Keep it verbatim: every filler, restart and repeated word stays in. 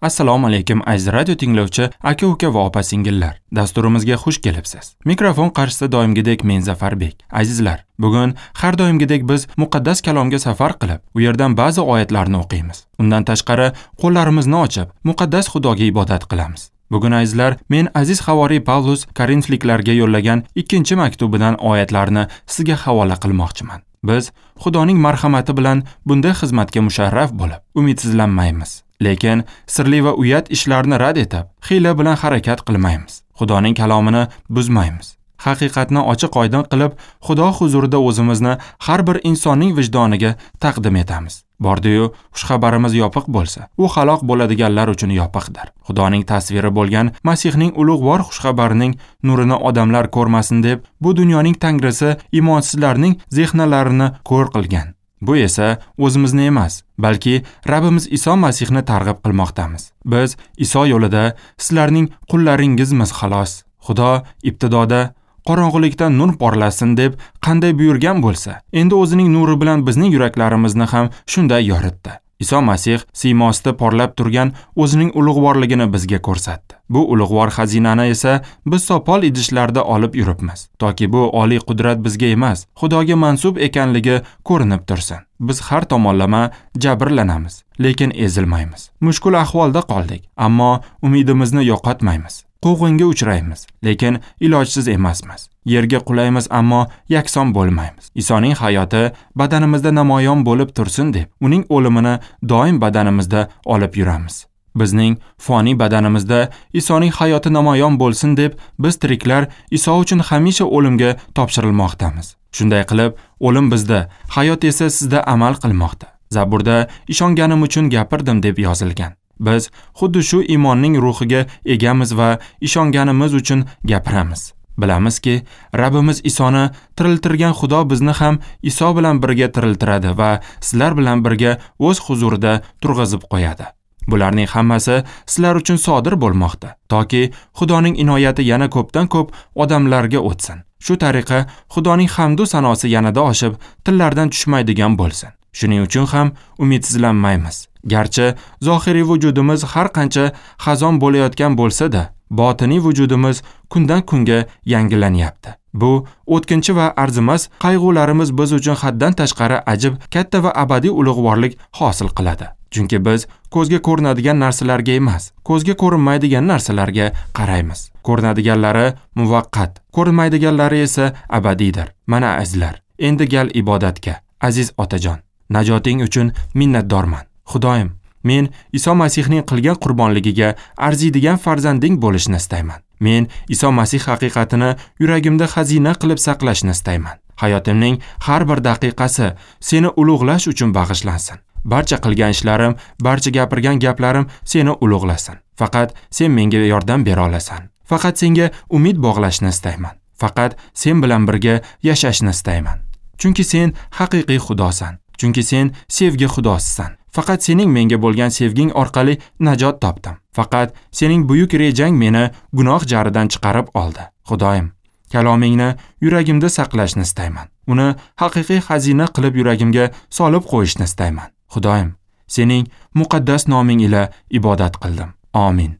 Assalomu alaykum aziz radio tinglovchi aka-uka va opa-singillar. Dasturimizga xush kelibsiz. Mikrofon qarshisida doimgidek men Zafarbek. Azizlar, bugun har doimgidek biz muqaddas kalomga safar qilib, u yerdan ba'zi oyatlarni o'qiymiz. Undan tashqari qo'llarimizni ochib, muqaddas Xudoga ibodat qilamiz. Bugun azizlar, men aziz havoriy Pavlus Korinfliklarga yo'llagan ikkinchi maktubidan oyatlarni sizga havola qilmoqchiman. Biz Xudoning marhamati bilan bunday xizmatga musharraf bo'lib, umidsizlanmaymiz. Lekin sirli va uyat ishlarni rad etib, xiyla bilan harakat qilmaymiz. Xudoning kalomini buzmaymiz. Haqiqatni ochiq-oydin qilib, Xudo huzurida o'zimizni har bir insonning vijdoniga taqdim etamiz. Bordi-yu, xushxabarimiz yopiq bo'lsa, u halok bo'ladiganlar uchun yopiqdir. Xudoning tasviri bo'lgan Masihning ulug'vor xushxabarining nurini odamlar ko'rmasin deb, bu dunyoning tangrisi imonsizlarning zehnlarini ko'r qilgan. Bu esa o'zimizni emas, balki Rabbimiz Iso Masihni targ'ib qilmoqdamiz. Biz Iso yo'lida sizlarning qullaringizmiz xolos. Xudo ibtidoda qorong'ulikdan nur porlasin deb qanday buyurgan bo'lsa, endi o'zining nuri bilan bizning yuraklarimizni ham shunday yoritdi. Iso Masih siymosida porlab turgan o'zining ulug'vorligini bizga ko'rsatdi. Bu ulug'vor xazinani esa biz sopol idishlarda olib yuribmiz, toki bu oliy qudrat bizga emas, Xudoga mansub ekanligi ko'rinib tursin. Biz har tomonlama jabrlanamiz, lekin ezilmaymiz. Mushkul ahvolda qoldik, ammo umidimizni yo'qotmaymiz. Quvg'inga uchraymiz, lekin ilojsiz emasmiz. Yerga qulaymiz, ammo yakson bo'lmaymiz. Isoning hayoti badanimizda namoyon bo'lib tursin deb, uning o'limini doim badanimizda olib yuramiz. Bizning foniy badanimizda Isoning hayoti namoyon bo'lsin deb, biz tiriklar Iso uchun hamisha o'limga topshirilmoqdamiz. Shunday qilib, o'lim bizda, hayot esa sizda amal qilmoqda. Zaburda ishonganim uchun gapirdim deb yozilgan. Biz xuddi shu iymonning ruhiga egamiz va ishonganimiz uchun gapiramiz. Bilamizki, Rabbimiz Isoni tiriltirgan Xudo bizni ham Iso bilan birga tiriltiradi va sizlar bilan birga o'z huzurida turg'izib qo'yadi. Bularning hammasi sizlar uchun sodir bo'lmoqda, toki Xudoning inoyati yana ko'pdan ko'p odamlarga o'tsin. Shu tariqa Xudoning hamdu sanosi yanada oshib, tillardan tushmaydigan bo'lsin. Shuning uchun ham umidsizlanmaymiz. Garchi zohiriy vujudimiz har qancha xazon bo'layotgan bo'lsa-da, botiniy vujudimiz kundan kunga yangilanyapti. Bu o'tkinchi va arzimas qayg'ularimiz biz uchun haddan tashqari ajib, katta va abadiy ulug'vorlik hosil qiladi. Chunki biz ko'zga ko'rinadigan narsalarga emas, ko'zga ko'rinmaydigan narsalarga qaraymiz. Ko'rinadiganlari muvaqqat, ko'rinmaydiganlari esa abadiydir. Mana azizlar, endi gal ibodatga. Aziz otajon, najoting uchun minnatdorman. Xudoyim, men Iso Masihning qilgan qurbonligiga arziydigan farzanding bo'lishni istayman. Men Iso Masih haqiqatini yuragimda xazina qilib saqlashni istayman. Hayotimning har bir daqiqasi seni ulug'lash uchun bag'ishlansin. Barcha qilgan ishlarim, barcha gapirgan gaplarim seni ulug'lasin. Faqat sen menga yordam bera olasan. Faqat senga umid bog'lashni istayman. Faqat sen bilan birga yashashni istayman. Chunki sen haqiqiy Xudosan. Chunki sen sevgi Xudosisan. Faqat sening menga bo'lgan sevging orqali najot topdim. Faqat sening buyuk rejang meni gunoh jaridan chiqarib oldi. Xudoyim, kalomingni yuragimda saqlashni istayman. Uni haqiqiy xazina qilib yuragimga solib qo'yishni istayman. Xudoyim, sening muqaddas noming ila ibodat qildim. Amin.